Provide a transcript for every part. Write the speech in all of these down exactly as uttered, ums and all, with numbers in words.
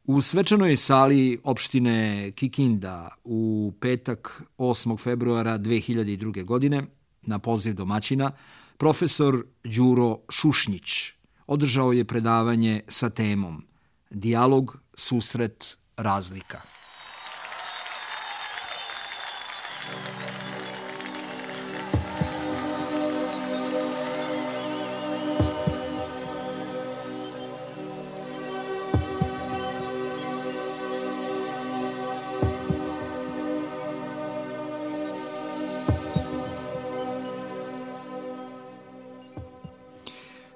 U svečanoj sali opštine Kikinda u petak osmog februara dve hiljade druge. godine na poziv domaćina profesor Đuro Šušnjić održao je predavanje sa temom Dijalog, susret, razlika.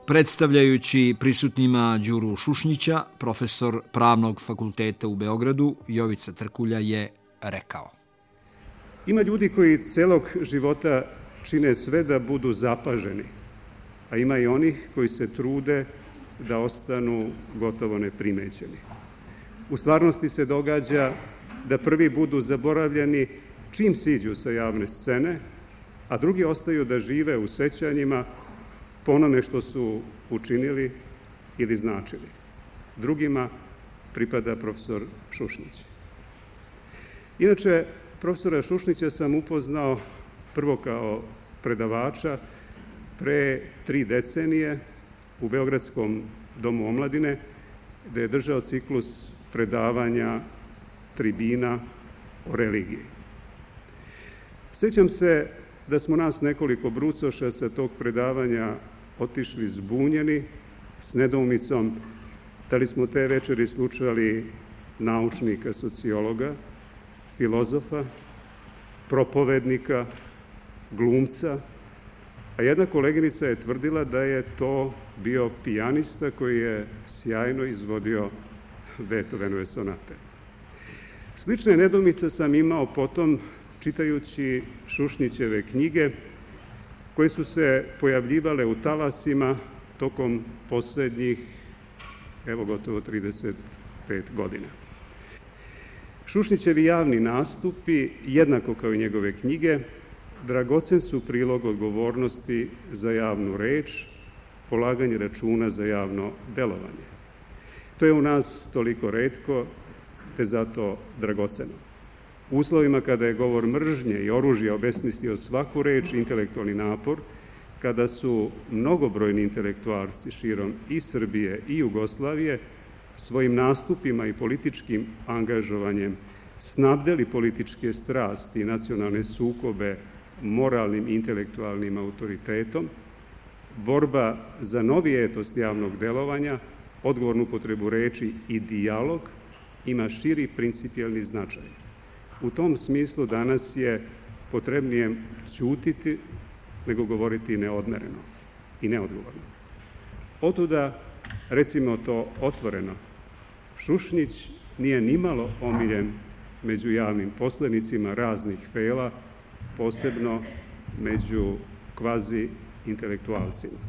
Predstavljajući prisutnima Đuru Šušnjića, profesor Pravnog fakulteta u Beogradu, Jovica Trkulja je rekao: Ima ljudi koji celog života čine sve da budu zapaženi, a ima i onih koji se trude da ostanu gotovo neprimećeni. U stvarnosti se događa da prvi budu zaboravljeni čim siđu sa javne scene, a drugi ostaju da žive u sećanjima po onome što su učinili ili značili. Drugima pripada profesor Šušnjić. Inače, profesora Šušnjića sam upoznao prvo kao predavača pre tri decenije u Beogradskom domu omladine, gde je držao ciklus predavanja tribina o religiji. Sjećam se da smo nas nekoliko brucoša sa tog predavanja otišli zbunjeni, s nedoumicom da li smo te večeri slušali naučnika, sociologa, filozofa, propovednika, glumca, a jedna koleginica je tvrdila da je to bio pijanista koji je sjajno izvodio Beethovenove sonate. Slične nedoumice sam imao potom čitajući Šušnjićeve knjige koje su se pojavljivale u talasima tokom poslednjih, evo gotovo trideset pet godina. Šušnjićevi javni nastupi, jednako kao i njegove knjige, dragocen su prilog odgovornosti za javnu reč, polaganje računa za javno delovanje. To je u nas toliko retko, te zato dragoceno. U uslovima kada je govor mržnje i oružja obesmislio svaku reč, intelektualni napor, kada su mnogobrojni intelektualci širom i Srbije i Jugoslavije svojim nastupima i političkim angažovanjem snabdeli političke strasti i nacionalne sukobe moralnim i intelektualnim autoritetom, borba za novi etos javnog delovanja, odgovornu upotrebu reči i dijalog ima širi principijelni značaj. U tom smislu danas je potrebnije ćutiti nego govoriti neodmereno i neodgovorno. Otuda, recimo to otvoreno, Šušnjić nije nimalo omiljen među javnim poslenicima raznih fela, posebno među kvazi intelektualcima.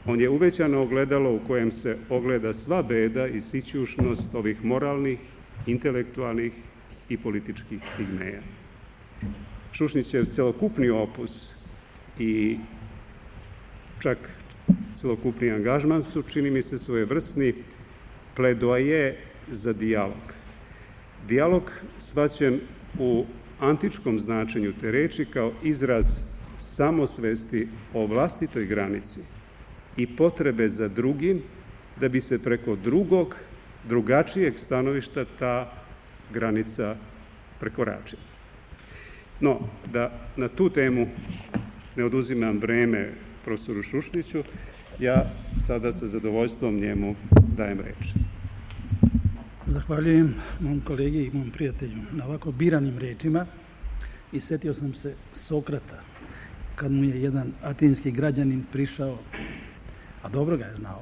On je uvećano ogledalo u kojem se ogleda sva beda i sićušnost ovih moralnih, intelektualnih i političkih pigmeja. Šušnjićev celokupni opus i čak celokupni angažman su, čini mi se, svojevrsni pledoaje za dijalog. Dijalog shvaćen u antičkom značenju te reči kao izraz samosvesti o vlastitoj granici i potrebe za drugim da bi se preko drugog, drugačijeg stanovišta ta granica prekoračila. No, da na tu temu ne oduzimam vreme profesoru Šušnjiću, ja sada sa zadovoljstvom njemu dajem reč. Zahvaljujem mom kolegi i mom prijatelju na ovako biranim rečima i setio sam se Sokrata, kad mu je jedan atinski građanin prišao, a dobro ga je znao.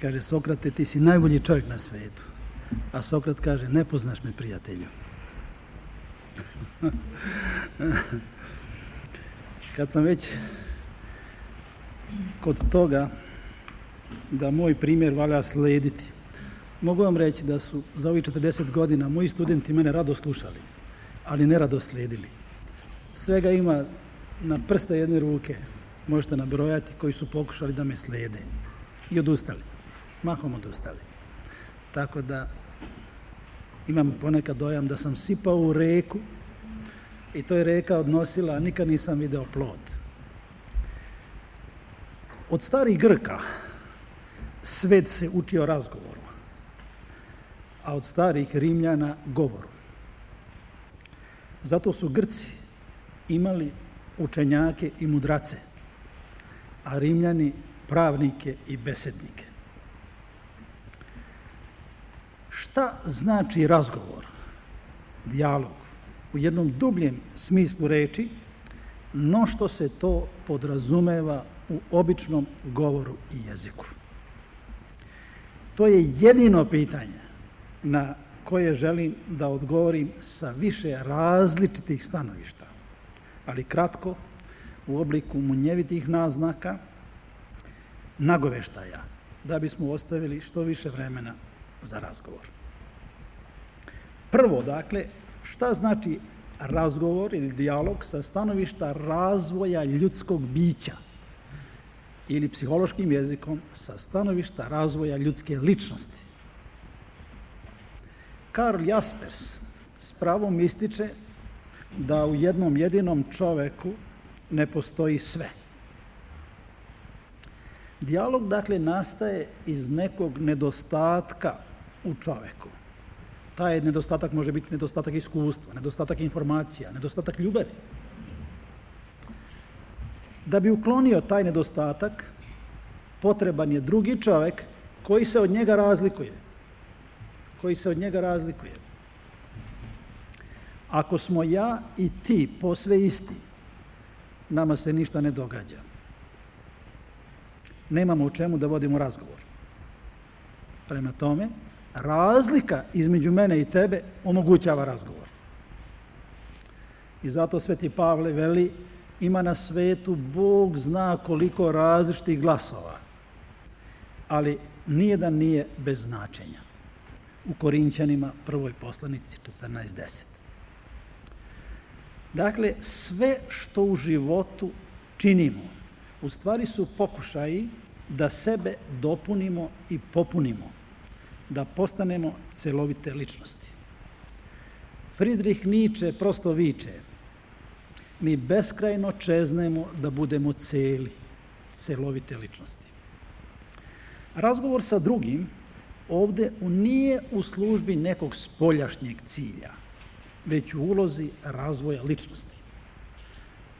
Kaže: Sokrate, ti si najbolji čovjek na svetu. A Sokrat kaže: ne poznaš me, prijatelju. Kad sam već kod toga da moj primjer valja slediti, mogu vam reći da su za ovih četrdeset godina moji studenti mene rado slušali, ali ne rado sledili. Svega ima na prste jedne ruke, možete nabrojati, koji su pokušali da me slede i odustali, mahom odustali. tako da imam ponekad dojam da sam sipao u reku i to je reka odnosila, a nikad nisam video plod. Od starih Grka svet se učio razgovoru, a od starih Rimljana govoru. Zato su Grci imali učenjake i mudrace, a Rimljani pravnike i besednike. Šta znači razgovor, dijalog, u jednom dubljem smislu reči, no što se to podrazumeva u običnom govoru i jeziku? To je jedino pitanje na koje želim da odgovorim sa više različitih stanovišta, ali kratko, u obliku munjevitih naznaka, nagoveštaja, da bismo ostavili što više vremena za razgovor. Prvo, dakle, šta znači razgovor ili dijalog sa stanovišta razvoja ljudskog bića ili psihološkim jezikom sa stanovišta razvoja ljudske ličnosti? Karl Jaspers s pravom ističe da u jednom jedinom čoveku ne postoji sve. Dijalog, dakle, nastaje iz nekog nedostatka u čoveku. Taj nedostatak može biti nedostatak iskustva, nedostatak informacija, nedostatak ljubavi. Da bi uklonio taj nedostatak, potreban je drugi čovek koji se od njega razlikuje. Koji se od njega razlikuje. Ako smo ja i ti posve isti, nama se ništa ne događa. Nemamo u čemu da vodimo razgovor. Prema tome, razlika između mene i tebe omogućava razgovor. I zato Sveti Pavle veli, ima na svetu Bog zna koliko različitih glasova, ali nijedan nije bez značenja. U Korinćanima, prvoj poslanici četrnaest deset. Dakle, sve što u životu činimo, u stvari su pokušaji da sebe dopunimo i popunimo, da postanemo celovite ličnosti. Friedrich Nietzsche prosto viče, mi beskrajno čeznemo da budemo celi, celovite ličnosti. Razgovor sa drugim ovde nije u službi nekog spoljašnjeg cilja, već u ulozi razvoja ličnosti.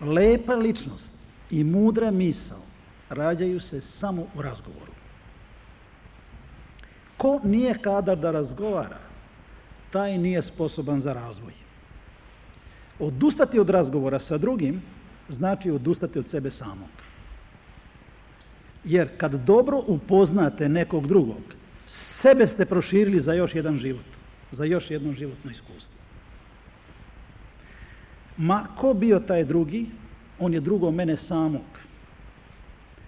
Lepa ličnost i mudra misao rađaju se samo u razgovoru. Ko nije kadar da razgovara, taj nije sposoban za razvoj. Odustati od razgovora sa drugim znači odustati od sebe samog. Jer kad dobro upoznate nekog drugog, sebe ste proširili za još jedan život, za još jedno životno iskustvo. Ma ko bio taj drugi, on je drugo mene samog,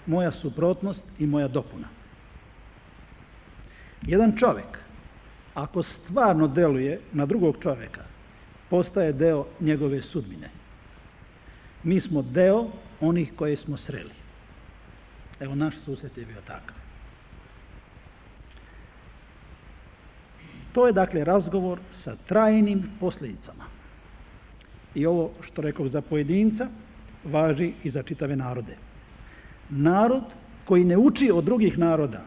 moja suprotnost i moja dopuna. Jedan čovek, ako stvarno deluje na drugog čoveka, postaje deo njegove sudbine. Mi smo deo onih koje smo sreli. Evo, naš susret je bio takav. To je, dakle, razgovor sa trajnim posljedicama. I ovo što rekao za pojedinca, važi i za čitave narode. Narod koji ne uči od drugih naroda,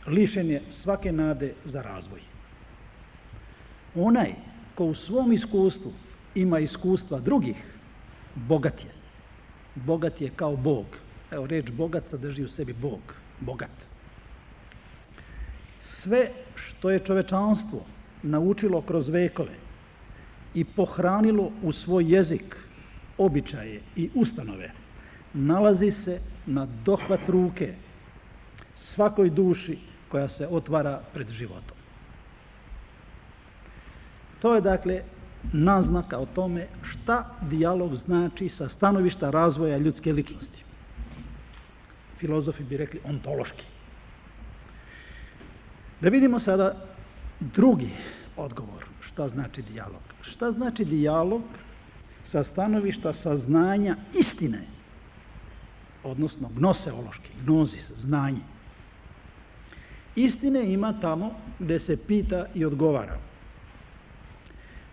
lišen je svake nade za razvoj. Onaj ko u svom iskustvu ima iskustva drugih, bogat je. Bogat je kao Bog. Evo, reč bogat sadrži u sebi Bog, bogat. Sve što je čovečanstvo naučilo kroz vekove i pohranilo u svoj jezik, običaje i ustanove, nalazi se na dohvat ruke svakoj duši koja se otvara pred životom. To je, dakle, naznaka o tome šta dijalog znači sa stanovišta razvoja ljudske ličnosti. Filozofi bi rekli ontološki. Da vidimo sada drugi odgovor. Šta znači dijalog? Šta znači dijalog sa stanovišta saznanja istine, odnosno gnoseološki, gnozis, znanje. Istine ima tamo gde se pita i odgovara.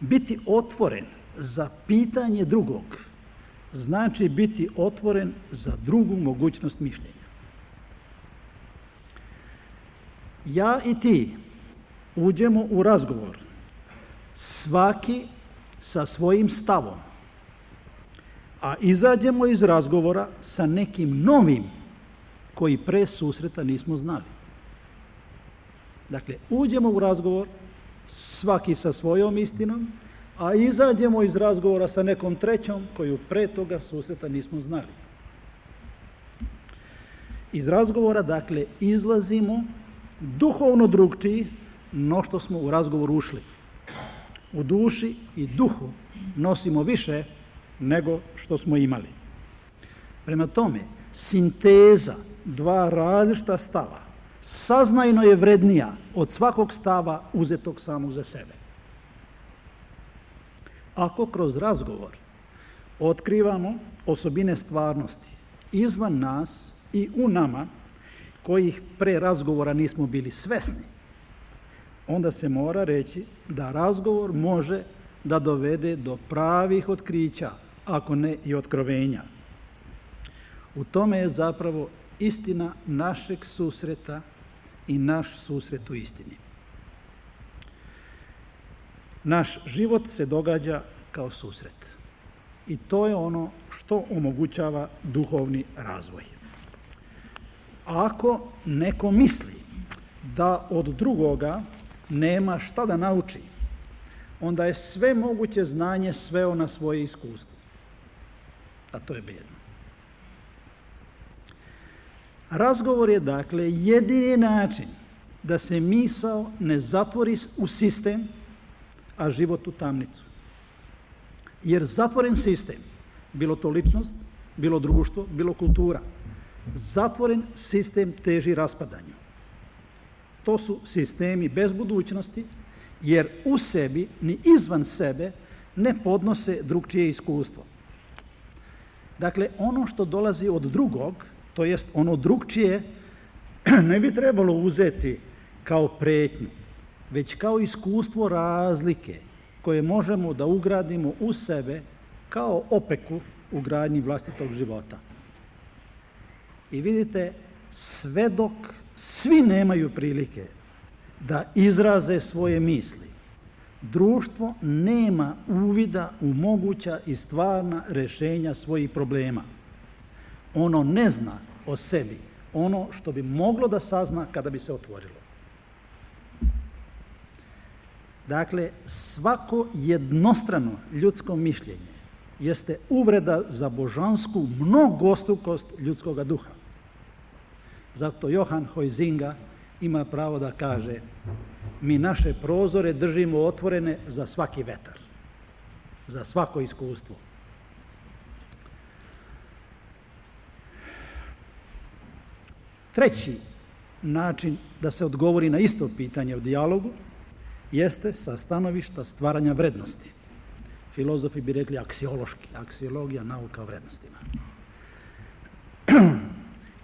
Biti otvoren za pitanje drugog znači biti otvoren za drugu mogućnost mišljenja. Ja i ti uđemo u razgovor, svaki sa svojim stavom, a izađemo iz razgovora sa nekim novim koji pre susreta nismo znali. Dakle, uđemo u razgovor, svaki sa svojom istinom, a izađemo iz razgovora sa nekom trećom koju pre toga susreta nismo znali. Iz razgovora, dakle, izlazimo duhovno drugčiji no što smo u razgovor ušli. U duši i duhu nosimo više nego što smo imali. Prema tome, sinteza dva različita stava saznajno je vrednija od svakog stava uzetog samog za sebe. Ako kroz razgovor otkrivamo osobine stvarnosti izvan nas i u nama, kojih pre razgovora nismo bili svesni, onda se mora reći da razgovor može da dovede do pravih otkrića, ako ne i otkrovenja. U tome je zapravo istina našeg susreta i naš susret u istini. Naš život se događa kao susret. I to je ono što omogućava duhovni razvoj. Ako neko misli da od drugoga nema šta da nauči, onda je sve moguće znanje sveo na svoje iskustvo. A to je bedno. Razgovor je, dakle, jedini način da se misao ne zatvori u sistem, a život u tamnicu. Jer zatvoren sistem, bilo to ličnost, bilo društvo, bilo kultura, zatvoren sistem teži raspadanju. To su sistemi bez budućnosti, jer u sebi ni izvan sebe ne podnose drugčije iskustvo. Dakle, ono što dolazi od drugog, to jest ono drugčije, ne bi trebalo uzeti kao pretnju, već kao iskustvo razlike koje možemo da ugradimo u sebe kao opeku u gradnji vlastitog života. I vidite, sve dok svi nemaju prilike da izraze svoje misli, društvo nema uvida u moguća i stvarna rešenja svojih problema. Ono ne zna o sebi ono što bi moglo da sazna kada bi se otvorilo. Dakle, svako jednostrano ljudsko mišljenje jeste uvreda za božansku mnogostrukost ljudskog duha. Zato Johan Huizinga ima pravo da kaže: mi naše prozore držimo otvorene za svaki vetar, za svako iskustvo. Treći način da se odgovori na isto pitanje u dijalogu jeste sa stanovišta stvaranja vrednosti. Filozofi bi rekli aksiološki, aksiologija, nauka o vrednostima.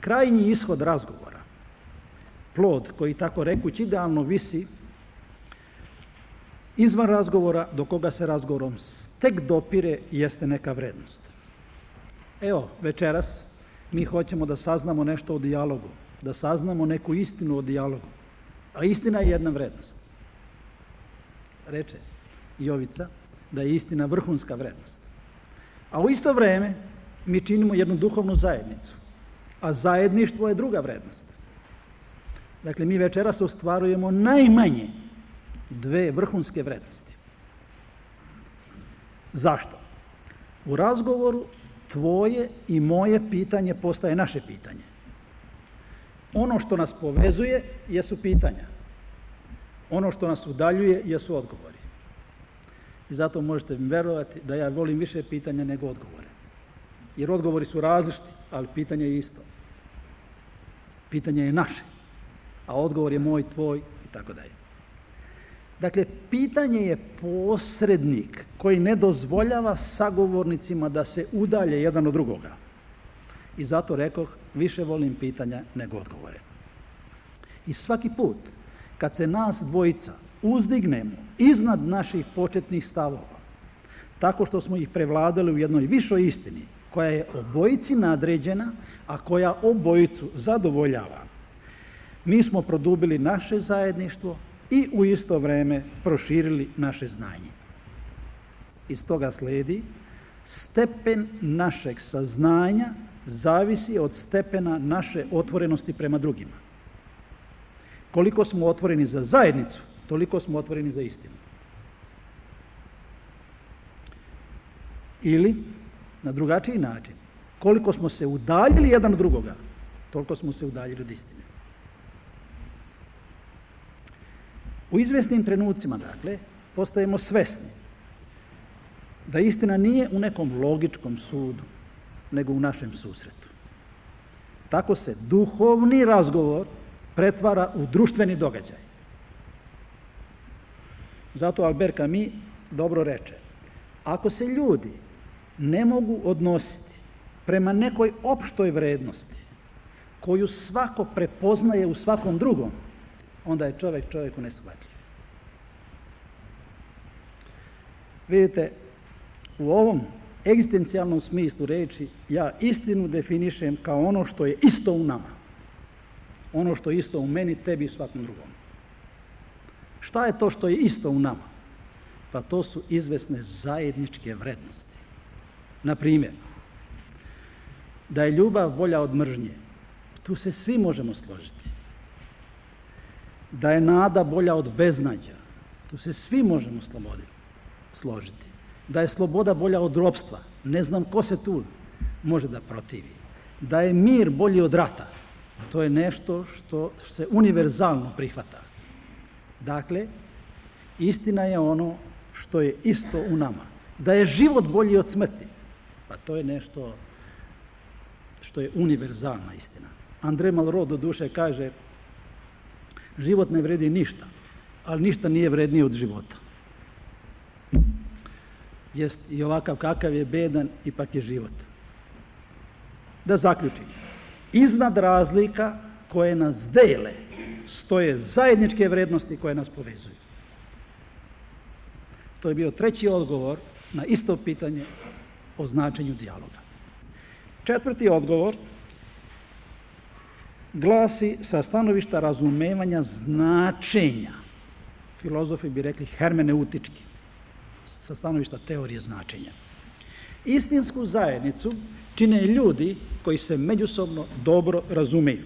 Krajnji ishod razgovora, plod koji, tako rekući, idealno visi izvan razgovora do koga se razgovorom tek dopire, jeste neka vrednost. Evo, večeras mi hoćemo da saznamo nešto o dijalogu, da saznamo neku istinu o dijalogu, a istina je jedna vrednost. Reče Jovica da je istina vrhunska vrednost. A u isto vreme mi činimo jednu duhovnu zajednicu, a zajedništvo je druga vrednost. Dakle, mi večeras ostvarujemo najmanje dve vrhunske vrednosti. Zašto? U razgovoru tvoje i moje pitanje postaje naše pitanje. Ono što nas povezuje jesu pitanja. Ono što nas udaljuje jesu odgovori. I zato možete mi verovati da ja volim više pitanja nego odgovore. Jer odgovori su različiti, ali pitanje je isto. Pitanje je naše, a odgovor je moj, tvoj i tako dalje. Dakle, pitanje je posrednik koji ne dozvoljava sagovornicima da se udalje jedan od drugoga. I zato rekoh, više volim pitanja nego odgovore. I svaki put kad se nas dvojica uzdignemo iznad naših početnih stavova, tako što smo ih prevladali u jednoj višoj istini, koja je obojici nadređena, a koja obojicu zadovoljava, mi smo produbili naše zajedništvo i u isto vreme proširili naše znanje. Iz toga sledi, stepen našeg saznanja zavisi od stepena naše otvorenosti prema drugima. Koliko smo otvoreni za zajednicu, toliko smo otvoreni za istinu. Ili, na drugačiji način, koliko smo se udaljili jedan od drugoga, toliko smo se udaljili od istine. U izvesnim trenucima, dakle, postajemo svesni da istina nije u nekom logičkom sudu, nego u našem susretu. Tako se duhovni razgovor pretvara u društveni događaj. Zato Albert Camus dobro reče, ako se ljudi ne mogu odnositi prema nekoj opštoj vrednosti koju svako prepoznaje u svakom drugom, onda je čovjek čovjeku neshvatljiv. Vidite, u ovom egzistencijalnom smislu reči ja istinu definišem kao ono što je isto u nama. Ono što je isto u meni, tebi i svakom drugom. Šta je to što je isto u nama? Pa to su izvesne zajedničke vrednosti. Na primjer, da je ljubav bolja od mržnje, tu se svi možemo složiti. Da je nada bolja od beznađa, tu se svi možemo složiti. Da je sloboda bolja od ropstva, ne znam ko se tu može da protivi. Da je mir bolji od rata, to je nešto što se univerzalno prihvata. Dakle, istina je ono što je isto u nama. Da je život bolji od smrti, pa to je nešto što je univerzalna istina. André Malraux do duše kaže, život ne vredi ništa, ali ništa nije vrednije od života. Jest i ovakav kakav je bedan, ipak je život. Da zaključim, iznad razlika koje nas dele stoje zajedničke vrednosti koje nas povezuju. To je bio treći odgovor na isto pitanje o značenju dijaloga. Četvrti odgovor glasi sa stanovišta razumevanja značenja. Filozofi bi rekli hermeneutički, sa stanovišta teorije značenja. Istinsku zajednicu čine ljudi koji se međusobno dobro razumeju.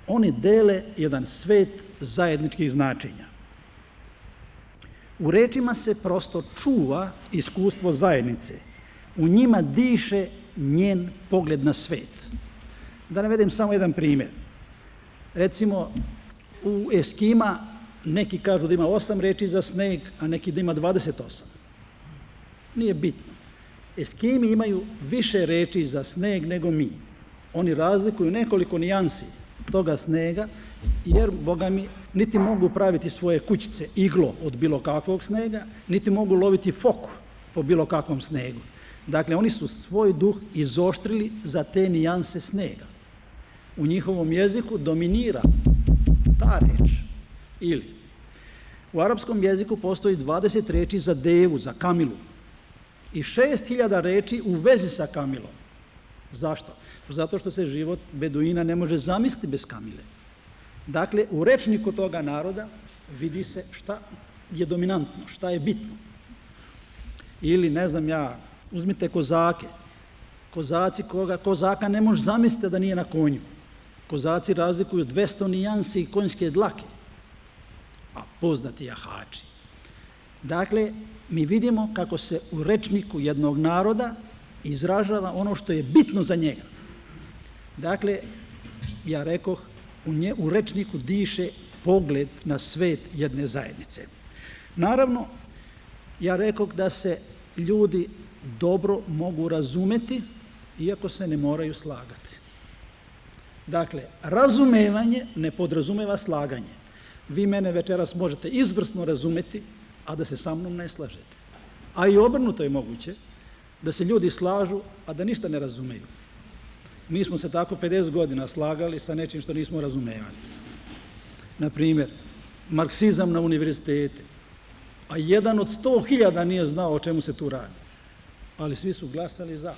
Oni dele jedan svet zajedničkih značenja. U rečima se prosto čuva iskustvo zajednice. U njima diše njen pogled na svet. Da navedem samo jedan primjer. Recimo, u Eskima neki kažu da ima osam reči za sneg, a neki da ima dvadeset osam. Nije bitno. Eskimi imaju više reči za sneg nego mi. Oni razlikuju nekoliko nijansi toga snega, jer, boga mi, niti mogu praviti svoje kućice iglo od bilo kakvog snega, niti mogu loviti foku po bilo kakvom snegu. Dakle, oni su svoj duh izoštrili za te nijanse snega. U njihovom jeziku dominira ta reč. Ili, u arapskom jeziku postoji dvadeset reči za devu, za kamilu, i šest hiljada reči u vezi sa kamilom. Zašto? Zato što se život beduina ne može zamisliti bez kamile. Dakle, u rečniku toga naroda vidi se šta je dominantno, šta je bitno. Ili, ne znam ja, uzmite kozake. Kozaci koga, kozaka ne može zamisliti da nije na konju. Kozaci razlikuju dvesta nijansi konjske dlake, a poznati jahači. Dakle, mi vidimo kako se u rečniku jednog naroda izražava ono što je bitno za njega. Dakle, ja rekoh, u, nje, u rečniku diše pogled na svet jedne zajednice. Naravno, ja rekoh da se ljudi dobro mogu razumeti, iako se ne moraju slagati. Dakle, razumevanje ne podrazumeva slaganje. Vi mene večeras možete izvrsno razumeti, a da se sa mnom ne slažete. A i obrnuto je moguće da se ljudi slažu, a da ništa ne razumeju. Mi smo se tako pedeset godina slagali sa nečim što nismo razumevali. na primjer, marksizam na univerzitete, a jedan od sto hiljada nije znao o čemu se tu radi, ali svi su glasali za.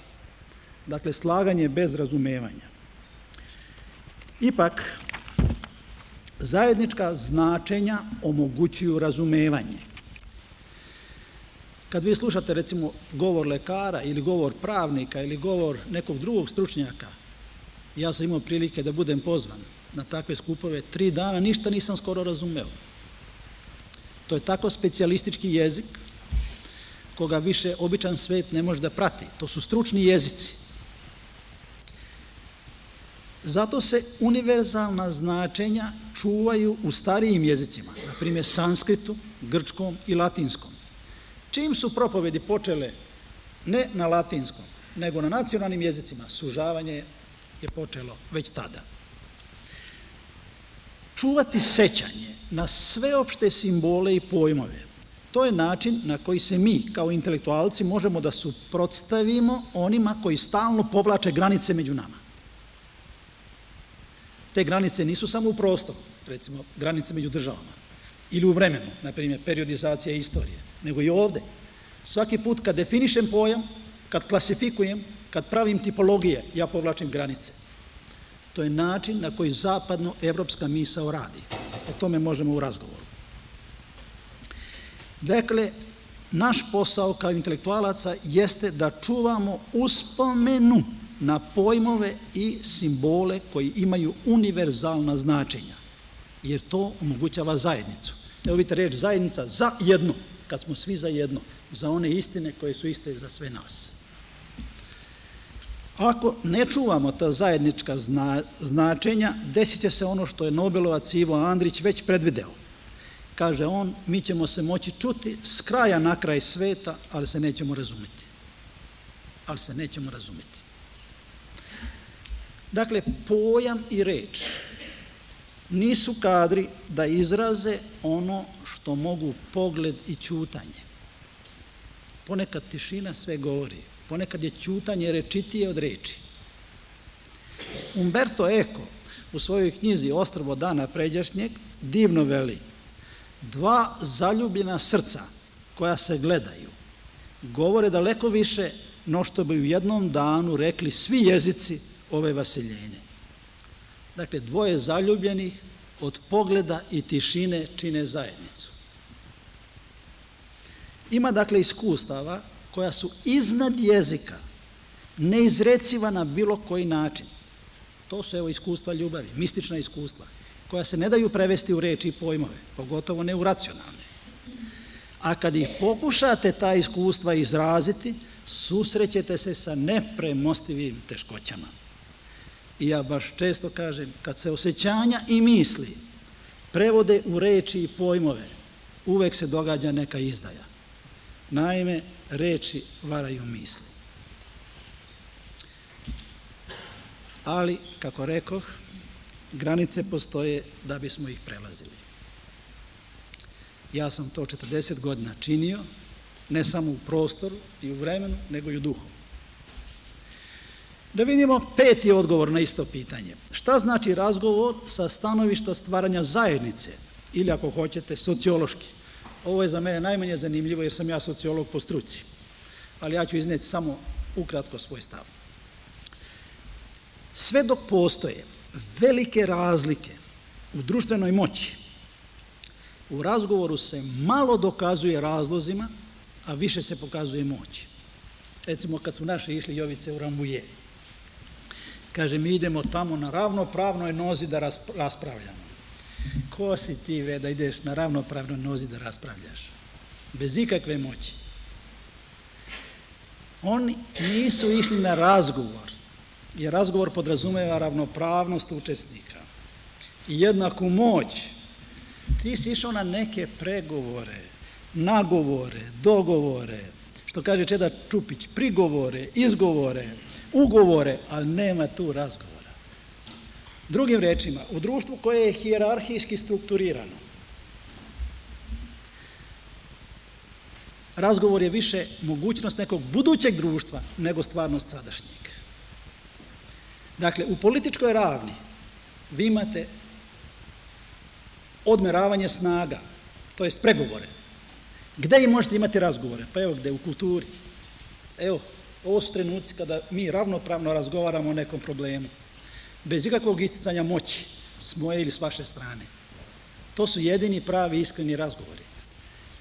Dakle, slaganje bez razumevanja. Ipak, zajednička značenja omogućuju razumevanje. Kad vi slušate, recimo, govor lekara ili govor pravnika ili govor nekog drugog stručnjaka, ja sam imao prilike da budem pozvan na takve skupove, tri dana ništa nisam skoro razumeo. To je tako specijalistički jezik koga više običan svet ne može da prati. To su stručni jezici. Zato se univerzalna značenja čuvaju u starijim jezicima, na primjer sanskritu, grčkom i latinskom. Čim su propovedi počele ne na latinskom, nego na nacionalnim jezicima, sužavanje je počelo već tada. Čuvati sećanje na sveopšte simbole i pojmove, to je način na koji se mi, kao intelektualci, možemo da suprotstavimo onima koji stalno povlače granice među nama. Te granice nisu samo u prostoru, recimo granice među državama, ili u vremenu, na primjer periodizacija istorije, nego i ovde. Svaki put kad definišem pojam, kad klasifikujem, kad pravim tipologije, ja povlačim granice. To je način na koji zapadno-evropska misao radi. O tome možemo u razgovoru. Dakle, naš posao kao intelektualaca jeste da čuvamo uspomenu na pojmove i simbole koji imaju univerzalna značenja, jer to omogućava zajednicu. Evo vidite reč zajednica za jedno, kad smo svi za jedno, za one istine koje su iste za sve nas. Ako ne čuvamo ta zajednička zna, značenja, desit će se ono što je Nobelovac Ivo Andrić već predvideo. Kaže on, mi ćemo se moći čuti s kraja na kraj sveta, ali se nećemo razumeti. Ali se nećemo razumeti. Dakle, pojam i reč nisu kadri da izraze ono što mogu pogled i ćutanje. Ponekad tišina sve govori, ponekad je ćutanje rečitije od reči. Umberto Eco u svojoj knjizi Ostrvo dana pređašnjeg divno veli: dva zaljubljena srca koja se gledaju govore daleko više no što bi u jednom danu rekli svi jezici ove vaseljenje. Dakle, dvoje zaljubljenih od pogleda i tišine čine zajednicu. Ima, dakle, iskustava koja su iznad jezika, neizreciva na bilo koji način. To su, evo, iskustva ljubavi, mistična iskustva, koja se ne daju prevesti u reči i pojmove, pogotovo ne u racionalne. A kad ih pokušate ta iskustva izraziti, susrećete se sa nepremostivim teškoćama. I ja baš često kažem, kad se osjećanja i misli prevode u reči i pojmove, uvek se događa neka izdaja. Naime, reči varaju misli. Ali, kako rekoh, granice postoje da bismo ih prelazili. Ja sam to četrdeset godina činio, ne samo u prostoru i u vremenu, nego i u duhu. Da vidimo peti odgovor na isto pitanje. Šta znači razgovor sa stanovišta stvaranja zajednice, ili ako hoćete, sociološki? Ovo je za mene najmanje zanimljivo jer sam ja sociolog po struci, ali ja ću izneti samo ukratko svoj stav. Sve dok postoje velike razlike u društvenoj moći, u razgovoru se malo dokazuje razlozima, a više se pokazuje moći. Recimo, kad su naši išli Jovice u Rambuje, kaže, mi idemo tamo na ravnopravnoj nozi da raspravljamo. Ko si ti, ve, da ideš na ravnopravnoj nozi da raspravljaš? Bez ikakve moći. Oni nisu išli na razgovor, jer razgovor podrazumeva ravnopravnost učesnika i jednaku moć. Ti si išao na neke pregovore, nagovore, dogovore, što kaže Čeda Čupić, prigovore, izgovore, ugovore, ali nema tu razgovora. Drugim rečima, u društvu koje je hijerarhijski strukturirano, razgovor je više mogućnost nekog budućeg društva nego stvarnost sadašnjeg. Dakle, u političkoj ravni vi imate odmeravanje snaga, to jest pregovore. Gde možete imati razgovore? Pa evo gde, u kulturi. Evo, ovo su trenuci kada mi ravnopravno razgovaramo o nekom problemu, bez ikakvog isticanja moći s moje ili s vaše strane. To su jedini pravi iskreni razgovori.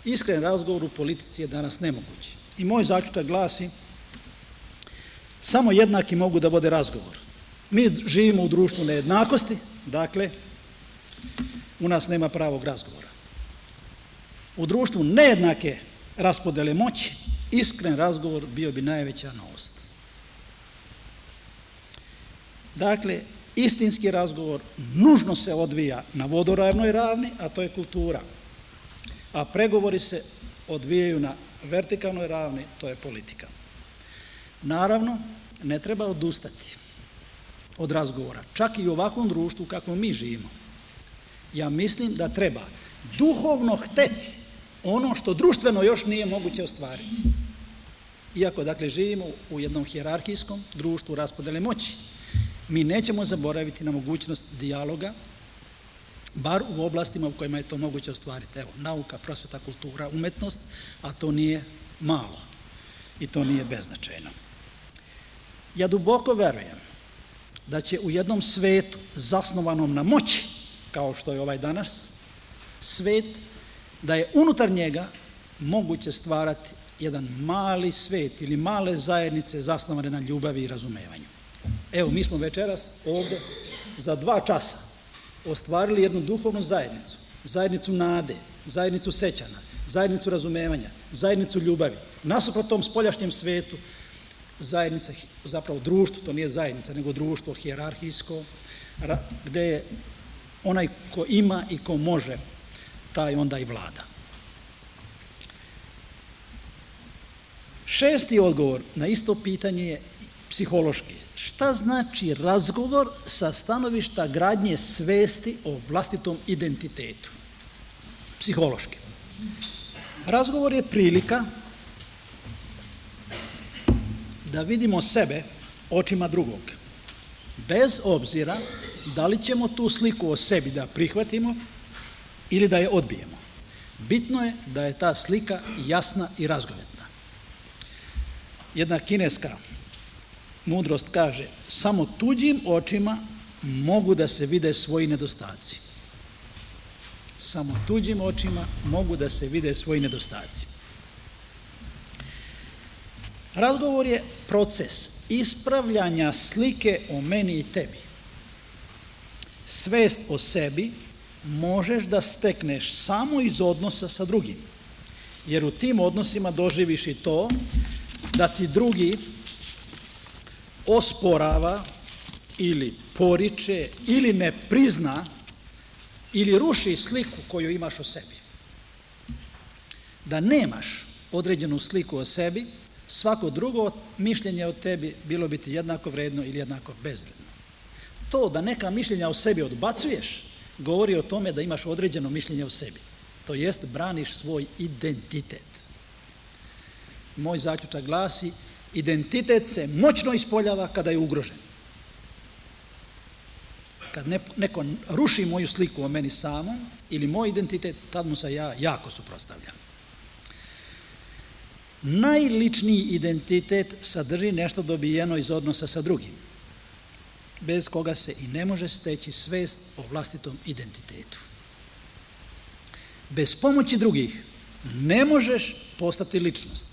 Iskren razgovor u politici je danas nemogući. I moj zaključak glasi, samo jednaki mogu da vode razgovor. Mi živimo u društvu nejednakosti, dakle, u nas nema pravog razgovora. U društvu nejednake raspodele moći, iskren razgovor bio bi najveća novost. Dakle, istinski razgovor nužno se odvija na vodoravnoj ravni, a to je kultura. A pregovori se odvijaju na vertikalnoj ravni, to je politika. Naravno, ne treba odustati od razgovora, čak i u ovakvom društvu kakvom mi živimo. Ja mislim da treba duhovno hteti ono što društveno još nije moguće ostvariti. Iako, dakle, živimo u jednom hijerarhijskom društvu raspodele moći, mi nećemo zaboraviti na mogućnost dijaloga, bar u oblastima u kojima je to moguće ostvariti. Evo, nauka, prosveta, kultura, umetnost, a to nije malo i to nije beznačajno. Ja duboko verujem da će u jednom svetu zasnovanom na moći, kao što je ovaj danas, svet, da je unutar njega moguće stvarati jedan mali svet ili male zajednice zasnovane na ljubavi i razumevanju. Evo, mi smo večeras ovde za dva časa ostvarili jednu duhovnu zajednicu, zajednicu nade, zajednicu sećanja, zajednicu razumevanja, zajednicu ljubavi. Nasuprot tom spoljašnjem svetu, zajednica, zapravo društvo, to nije zajednica, nego društvo hijerarhijsko, gde je onaj ko ima i ko može, taj onda i vlada. Šesti odgovor na isto pitanje je psihološki. Šta znači razgovor sa stanovišta gradnje svesti o vlastitom identitetu? Psihološki. Razgovor je prilika da vidimo sebe očima drugog, bez obzira da li ćemo tu sliku o sebi da prihvatimo ili da je odbijemo. Bitno je da je ta slika jasna i razgovetna. Jedna kineska mudrost kaže, samo tuđim očima mogu da se vide svoji nedostaci. Samo tuđim očima mogu da se vide svoji nedostaci. Razgovor je proces ispravljanja slike o meni i tebi. Svest o sebi možeš da stekneš samo iz odnosa sa drugim, jer u tim odnosima doživiš i to da ti drugi osporava ili poriče ili ne prizna ili ruši sliku koju imaš o sebi. Da nemaš određenu sliku o sebi, svako drugo mišljenje o tebi bilo bi ti jednako vredno ili jednako bezvredno. To da neka mišljenja o sebi odbacuješ, govori o tome da imaš određeno mišljenje o sebi. To jest, braniš svoj identitet. Moj zaključak glasi, identitet se moćno ispoljava kada je ugrožen. Kad neko ruši moju sliku o meni samom ili moj identitet, tad mu se ja jako suprotstavljam. Najličniji identitet sadrži nešto dobijeno iz odnosa sa drugim, bez koga se i ne može steći svest o vlastitom identitetu. Bez pomoći drugih ne možeš postati ličnost,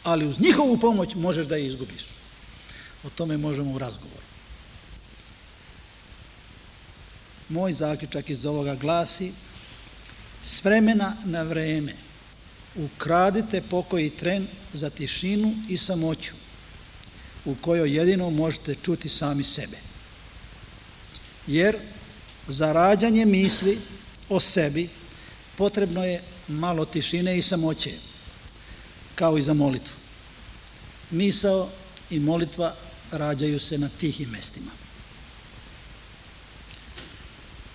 ali uz njihovu pomoć možeš da je izgubiš. O tome možemo u razgovoru. Moj zaključak iz ovoga glasi, s vremena na vreme ukradite pokoji tren za tišinu i samoću, u kojoj jedino možete čuti sami sebe. Jer za rađanje misli o sebi potrebno je malo tišine i samoće, kao i za molitvu. Misao i molitva rađaju se na tihim mestima.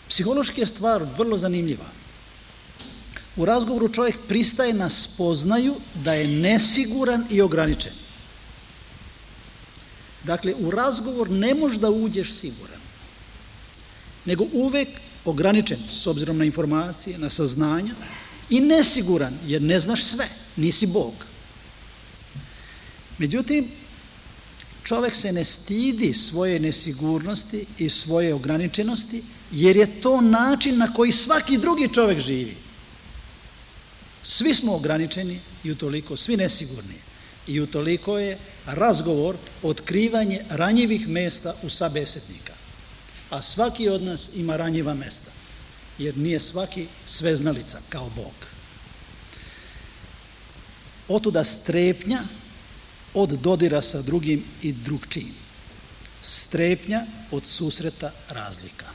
Psihološki je stvar vrlo zanimljiva. U razgovoru čovjek pristaje na spoznaju da je nesiguran i ograničen. Dakle, u razgovor ne možeš da uđeš siguran, nego uvek ograničen s obzirom na informacije, na saznanja i nesiguran jer ne znaš sve, nisi Bog. Međutim, čovjek se ne stidi svoje nesigurnosti i svoje ograničenosti jer je to način na koji svaki drugi čovjek živi. Svi smo ograničeni i utoliko svi nesigurni. I utoliko je razgovor otkrivanje ranjivih mesta u sabesednika. A svaki od nas ima ranjiva mesta, jer nije svaki sveznalica kao Bog. Otuda strepnja od dodira sa drugim i drugčijim. Strepnja od susreta razlika.